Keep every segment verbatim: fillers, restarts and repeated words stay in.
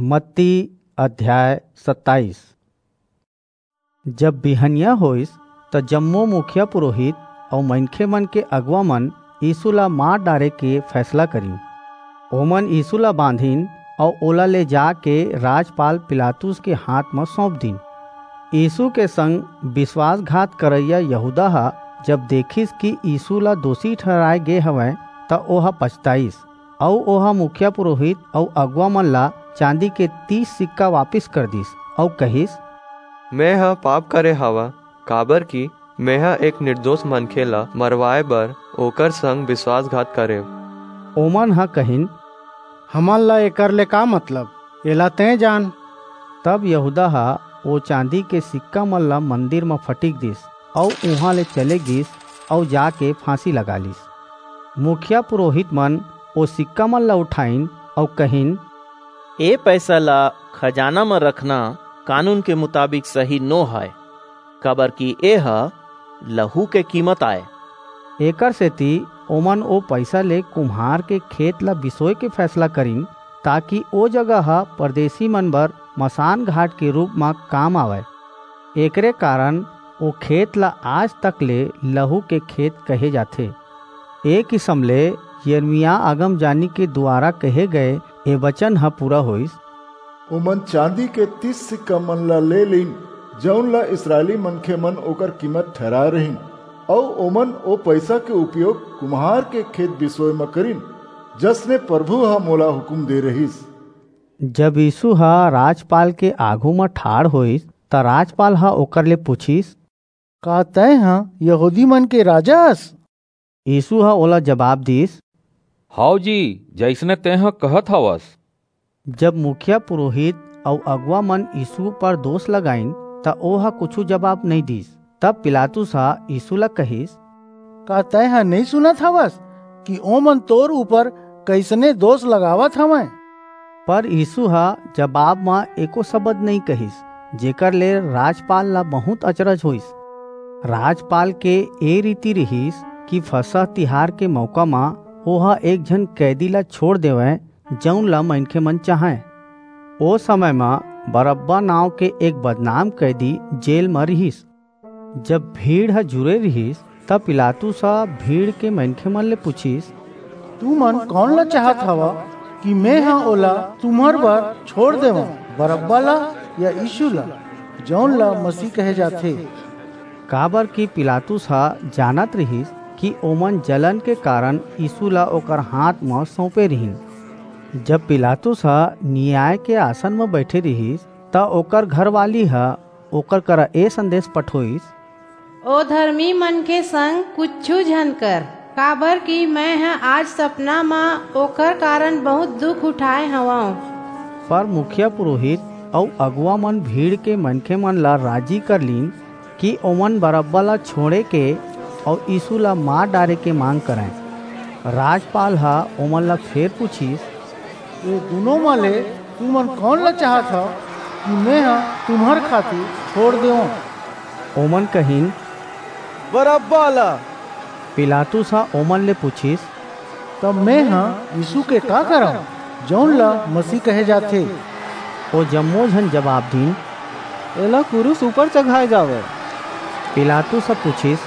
मत्ती अध्याय सत्ताईस। जब बिहनिया होइस, त जम्मो मुखिया पुरोहित अउ मनखे मन के अगुवा मन यीशु ला मार डारे के फैसला करिन। ओमन यीशु ला बांधिन अउ ओला ले जाके राजपाल पिलातुस के हाथ म सौंप दिन। यीशु के संग विश्वासघात करइया यहूदा ह जब देखिस कि यीशु ला दोषी ठहराए गे हवय, त ओह पछताइस। अऊ ओह मुखिया पुरोहित अऊ अगुवा मन ला चांदी के तीस सिक्का वापिस कर दिस, अऊ कहिस, "मेंह पाप करे हवं, काबरकि मेंह एक निर्दोष मनखे ला मरवाए बर ओकर संग विश्वासघात करेंव।" ओमन ह कहिन, "हमन ला एकर ले का मतलब? एला तें जान।" तब यहूदा ह ओ चांदी के सिक्का मन ला मंदिर म फटिक दिस, अऊ उहां ले चले गिस, अऊ जाके फांसी लगा लिस। मुखिया पुरोहित मन ओ सिक्का मन ला उठाइन अऊ कहिन, "ए पैसा ला खजाना म रखना कानून के मुताबिक सही नो हय, काबरकि ए ह लहू के कीमत आय।" एकर सेती ओमन ओ पैसा ले कुम्हार के खेत ला बिसोय के फैसला करिन, ताकि ओ जगह ह परदेसी मन बर मसान घाट के रूप म काम आवय। एकरे कारण ओ खेत ला आज तक ले लहू के खेत कहे जाथे। ए किसम ले यिर्मयाह अगमजानी के दुवारा कहे गए ए बचन ह पूरा होइस, "ओमन चांदी के तीस सिक्का मन ला ले लीन, जऊन ला इसरायली मनखे मन ओकर कीमत ठहराए रहिन, अऊ ओमन ओ पईसा के उपयोग कुम्हार के खेत बिसोय म करिन, जसने परभू ह मोला हुकूम दे रहिस।" जब यीशु ह राजपाल के आघू म ठाढ़ होइस, त राजपाल ह ओकर ले पूछिस, "का तैं ह यहूदी मन के राजा अस?" यीशु ह ओला जबाब दीस, "हव जी, जइसने तैं ह कहत हवस।" जब मुखिया पुरोहित अऊ अगुवा मन यीशु पर दोष लगाइन, त ओह कुछू जबाब नइं दीस। तब पिलातुस ह यीशु ला कहिस, "का तैं ह नइं सुनत हवस कि ओमन तोर ऊपर कइसने दोष लगावत हवंय?" पर यीशु ह जबाब म एको सबद नइं कहिस, जेकर ले राजपाल ला बहुंत अचरज होइस। राजपाल के ए रीति रिहिस कि फसह तिहार के मऊका म ओह एक झन कैदी ला छोंड़ देवय, जऊन ला मनखे मन चाहंय। ओ समय म बरअब्बा नांव के एक बदनाम कैदी जेल म रिहिस। जब भीड़ ह जुरे रिहिस, त पिलातुस ह भीड़ के मनखे मन ले पूछिस, "तुमन कौन ला चाहत हव कि मेंह ओला तुम्हर बर छोंड़ देवंव, बरअब्बा ला या यीशु ला, जऊन ला मसीह कहे जाथे?" काबरकि पिलातुस ह जानत रिहिस कि ओमन जलन के कारण यीशु ला ओकर हांथ म सऊंपे रिहिन। जब पिलातुस ह नियाय के आसन म बईठे रिहिस, त ओकर घरवाली ह ओकर करा ए संदेस पठोईस, "ओ धरमी मनखे संग कुछू झन कर, काबरकि मेंह आज सपना म ओकर कारण बहुंत दुख उठाय हवंव।" पर मुखिया पुरोहित अऊ अगुवा मन भीड़ के मनखे मन ला राजी कर लीन कि ओमन बरअब्बा ला छोंड़े के अऊ यीशु ला मार डारे के मांग करंय। राजपाल ह ओमन ला फेर पूछिस, "ए दूनों म ले तुमन कौन ला चाहत हव कि मेंह तुम्हर खातिर छोंड़ देवंव?" ओमन कहिन, "बरअब्बा ला।" पिलातुस ह ओमन ले पूछिस, "तब मेंह यीशु के का करंव, जऊन ला मसीह कहे जाथे?" ओ जम्मो झन जबाब दीन, "एला कुरूस ऊपर चघाय जावय।" पिलातुस ह पूछिस,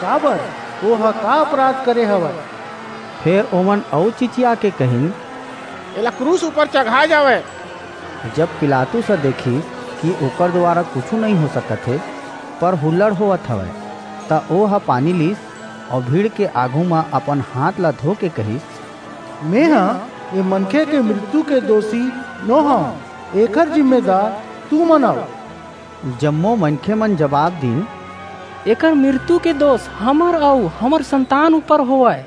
"काबर? ओह का अपराध करे हवय?" फेर ओमन अऊ चिचिया के कहिन, "एला क्रूस ऊपर चघाय जावय।" जब पिलातुस ह देखिस कि ओकर दुवारा कुछू नइं हो सकत हे, पर हुल्लड़ होवत हवय, त ओह पानी लीस अऊ भीड़ के आघू म अपन हांथ ला धो के कहिस, "मेंह ए मनखे के मृत्यु के दोसी नो हंव, एकर जिम्मेदार तुमन अव।" जम्मो मनखे मन जबाब दीन, "एकर मृत्यु के दोस हमर अऊ हमर संतान ऊपर होवय।"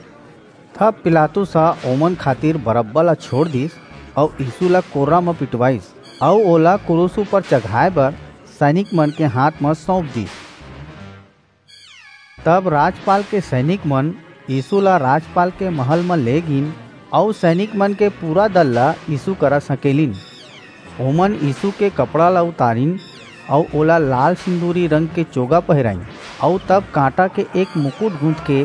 तब पिलातुस ह ओमन खातिर बरअब्बा ला छोंड़ दिस अऊ यीशु ला कोर्रा म पिटवाईस अऊ ओला कुरूस ऊपर चघाय बर सैनिक मन के हांथ म सऊंप दिस। तब राजपाल के सैनिक मन यीशु ला राजपाल के महल म ले गीन अऊ सैनिक मन के पूरा दल ला यीशु करा सकेलिन। ओमन यीशु के कपड़ा ला उतारिन अऊ ओला लाल सिंदूरी रंग के चोगा पहिराईन अऊ तब कांटा के एक मुकुट गूंथ के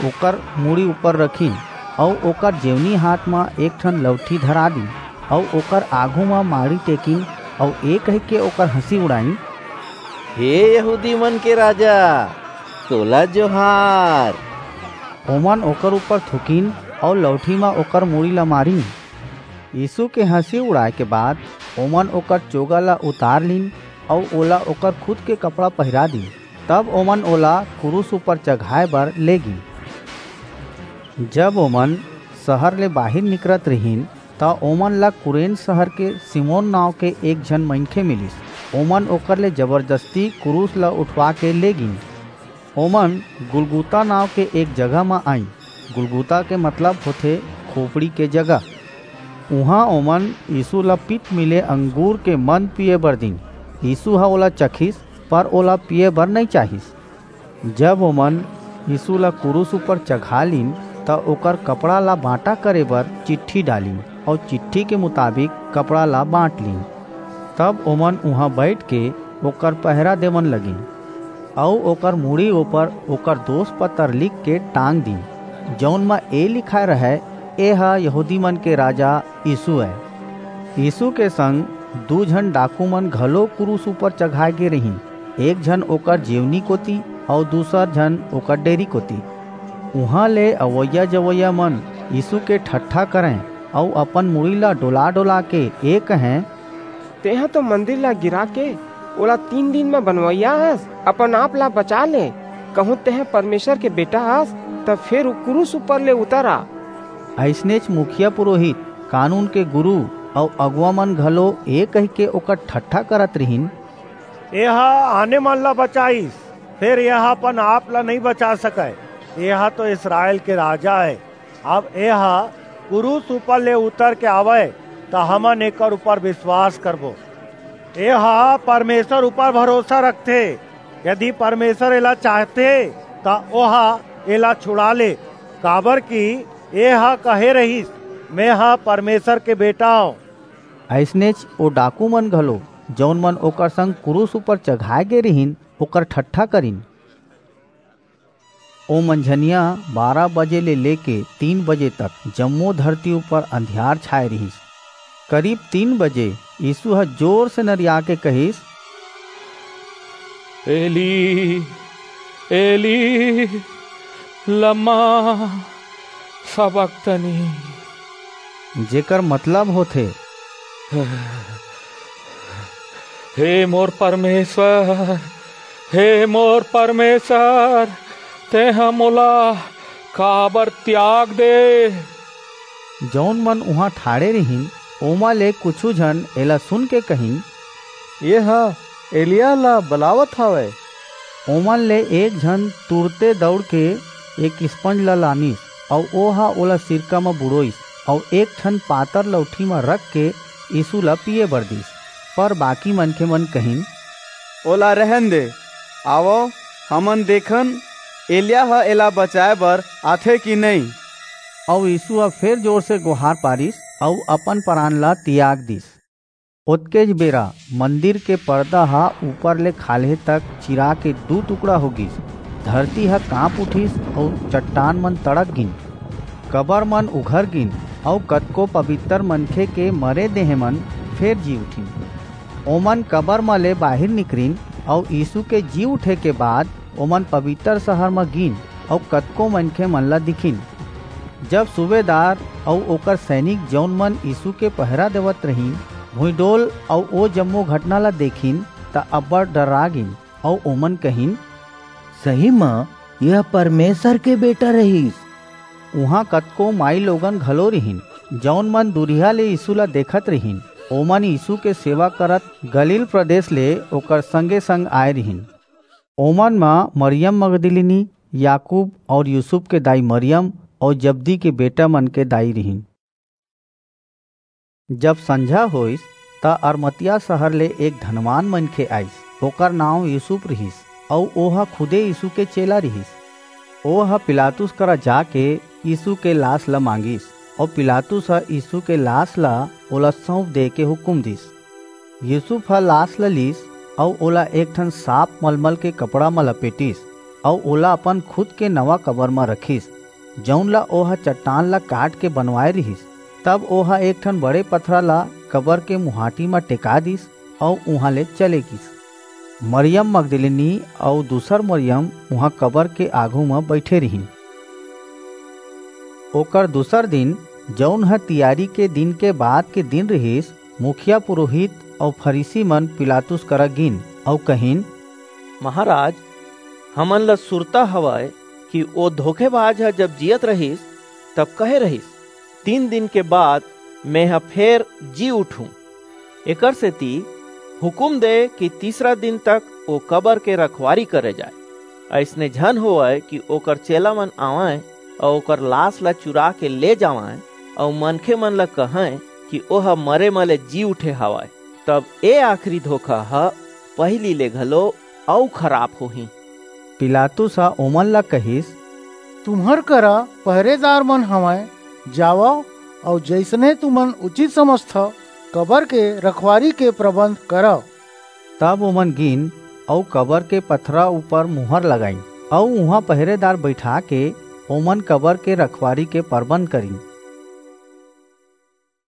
ओकर मुड़ी ऊपर रखिन अऊ ओकर जेवनी हाथ म एक ठन लउठी धरा दीन। अऊ ओकर आघू म माड़ी टेकिन, अऊ ए कहिके ओकर हंसी उड़ाइन, "हे यहूदी मन के राजा, तोला जोहार।" ओमन ओकर ऊपर थूकिन, अऊ लौठी म ओकर मुड़ी ला मारिन। यीसू के हंसी उड़ाय के बाद ओमन ओकर चोगा ला उतार लीन, अऊ ओला ओकर खुद के कपड़ा पहिरा दीन। तब ओमन ओला कुरूस ऊपर चघाय बर ले गीन। जब ओमन सहर ले बाहिर निकरत रिहिन, त ओमन ला कुरेन सहर के सिमोन नांव के एक झन मनखे मिलिस। ओमन ओकर ले जबरदस्ती कुरूस ला उठवा के ले गीन। ओमन गुलगुता नांव के एक जगह म आईन। गुलगुता के मतलब होथे खोपड़ी के जगह। उहां ओमन यीसू ला पित्त मिले अंगूर के मद पीये बर दीन। यीसू ह ओला चखिस, पर ओला पीये बर नइं चाहिस। जब ओमन यीसू ला कुरूस ऊपर चघा लीन, त ओकर कपड़ा ला बांटा करे बर चिट्ठी डालिन, अऊ चिट्ठी के मुताबिक कपड़ा ला बांट लीन। तब ओमन उहां बईठ के ओकर पहरा देवन लगिन, अऊ ओकर मुड़ी ऊपर ओकर दोस पतर लिख के टांग दीन, जऊन म ए लिखाय रहय, "ए ह यहूदी मन के राजा यीसू अय।" यीसू के संग दू झन डाकू मन घलो कुरूस ऊपर चघाय गे रिहिन, एक झन ओकर जेवनी कोति अऊ दूसर झन ओकर डेरी कोति। उहां ले अवइया-जवइया मन यीसू के ठट्ठा करंय अऊ अपन मुड़ी ला डोला-डोला के ए कहंय, "तेंह तो मंदिर ला गिरा के ओला तीन दिन म बनवइया हस, अपन आप ला बचा ले। कहूं तेंह परमेसर के बेटा हस, त फेर कुरूस ऊपर ले उतर आ।" अइसनेच मुखिया पुरोहित, कानून के गुरू अऊ अगुवा मन घलो ए कहिके ओकर ठट्ठा करत रिहिन, "एह आने मन ला बचाईस, फेर एह अपन आप ला नइं बचा सकय। एह तो इसरायल के राजा अय। अब एह कुरूस ऊपर ले उतर के आवय, त हमन एकर ऊपर बिसवास करबो। एह परमेसर ऊपर भरोसा रखथे। यदि परमेसर एला चाहथे, त ओह एला छुड़ा ले, काबरकि एह कहे रिहिस, 'मेंह परमेसर के बेटा अंव।'" अइसनेच ओ डाकू मन घलो, जऊन मन ओकर संग कुरूस ऊपर चघाय गे रिहिन, ओकर ठट्ठा करिन। ओ मंझनिया बारह बजे ले लेके तीन बजे तक जम्मो धरती ऊपर अंधियार छाय रिहिस। करीब तीन बजे यीसू ह जोर से नरिया के कहिस, "एली, एली, लमा सबक्तनी?" जेकर मतलब होथे, "हे मोर परमेसर, हे मोर परमेसर, तेंह मोला काबर तियाग दे?" जऊन मन उहां ठाढ़े रिहिन, ओमा ले कुछू झन एला सुनके कहिन, "एह एलिय्याह ला बलावत हवय।" ओमन ले एक झन तुरते दऊड़ के एक स्पंज ला लानिस, अऊ ओह ओला सिरका म बुड़ोइस, अऊ एक ठन पातर लऊठी म रखके यीसू ला पीये बर दीस। पर बाकी मनखे मन कहिन, "ओला रहन दे, आवव, हमन देखन, एलिय्याह ह एला बचाय बर आथे कि नइं।" अऊ यीसू ह फेर जोर से गोहार पारिस, अऊ अपन परान ला तियाग दीस। ओतकेच बेरा मंदिर के परदा ह ऊपर ले खाल्हे तक चिरा के दू टुकड़ा हो गीस। धरती ह कांप उठिस अऊ चट्टान मन तड़क गीन। कबर मन उघर गीन अऊ कतको पबितर मनखे के मरे देहें मन फेर जी उठिन। ओमन कबर म ले बाहिर निकरिन अऊ यीसू के जी उठे के बाद ओमन पबितर सहर म गीन अऊ कतको मनखे मन ला दिखिन। जब सूबेदार अऊ ओकर सैनिक, जऊन मन यीसू के पहरा देवत रिहिन, भुइंडोल अऊ ओ जम्मो घटना ला देखिन, त अब्बड़ डर्रा गीन अऊ ओमन कहिन, "सही म एह परमेसर के बेटा रिहिस।" उहां कतको माईलोगन घलो रिहिन, जऊन मन दूरिहा ले यीसू ला देखत रिहिन। ओमन यीसू के सेवा करत गलील प्रदेस ले ओकर संगे-संग आय रिहिन। ओमन म मरियम मगदलीनी, याकूब अऊ यूसुफ के दाई मरियम अऊ जब्दी के बेटा मन के दाई रिहिन। जब संझा होईस, त अरमतिया सहर ले एक धनवान मनखे आईस। ओकर नांव यूसुफ रिहिस, अऊ ओह खुदे यीसू के चेला रिहिस। ओह पिलातुस करा जाके यीसू के लास ल मांगिस, अऊ पिलातुस ह यीसू के लास ल ओला सऊंप दे के हुकूम दीस। यूसुफ ह लास ल लीस, अऊ ओला एक ठन साफ मलमल के कपड़ा म लपेटिस, अऊ ओला अपन खुद के नवा कबर म रखिस, जऊन ल ओह चट्टान ल काट के बनवाय रिहिस। तब ओह एक ठन बड़े पथरा ला कबर के मुहाटी म टेका दिस, अऊ उहां ले चले गिस। मरियम मगदलिनी अऊ दूसर मरियम उहां कबर के आघू म बइठे रिहिन। ओकर दूसर दिन, जऊन ह तियारी के दिन के बाद के दिन रिहिस, मुखिया पुरोहित अऊ फरीसी मन पिलातुस करा गिन अऊ कहिन, "महाराज, हमन ला सुरता हवय कि ओ धोखेबाज ह जब जियत रहिस, तब कहे रहिस, 'तीन दिन के बाद मेंह फेर जी उठूं।' एकर सेती हुकुम दे कि तीसरा दिन तक ओ कबर के रखवारी करे जाय। अइसने झन होवय कि ओकर चेला मन आवंय अऊ ओकर लाश ला चुरा के ले जावंय अऊ मनखे मन ला कहंय कि ओह मरे म ले जी उठे हवय। तब ए आखिरी धोखा ह पहिली ले घलो अऊ खराब होही।" पिलातुस ह ओमन ला कहिस, "तुम्हर करा पहरेदार मन हवंय, जावव अऊ जइसने तुमन उचित समझथव, कबर के रखवारी के प्रबंध करव।" तब ओमन गिन अऊ कबर के पथरा ऊपर मुहर लगाइन, अऊ उहां पहरेदार बइठा के ओमन कबर के रखवारी के परबंध करिन।